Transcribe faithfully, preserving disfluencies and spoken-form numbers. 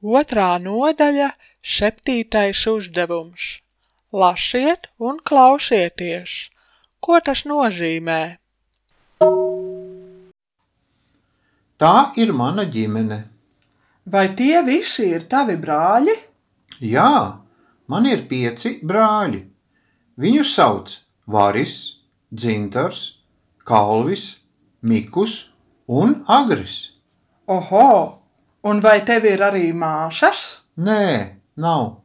Otrā nodaļa, septītais uzdevums. Lasiet un klausieties. Ko tas nozīmē? Tā ir mana ģimene. Vai tie visi ir tavi brāļi? Jā, man ir pieci brāļi. Viņus sauc Varis, Dzintars, Kalvis, Mikus un Agris. Oho, un vai tev ir arī māsas? Nē, nav.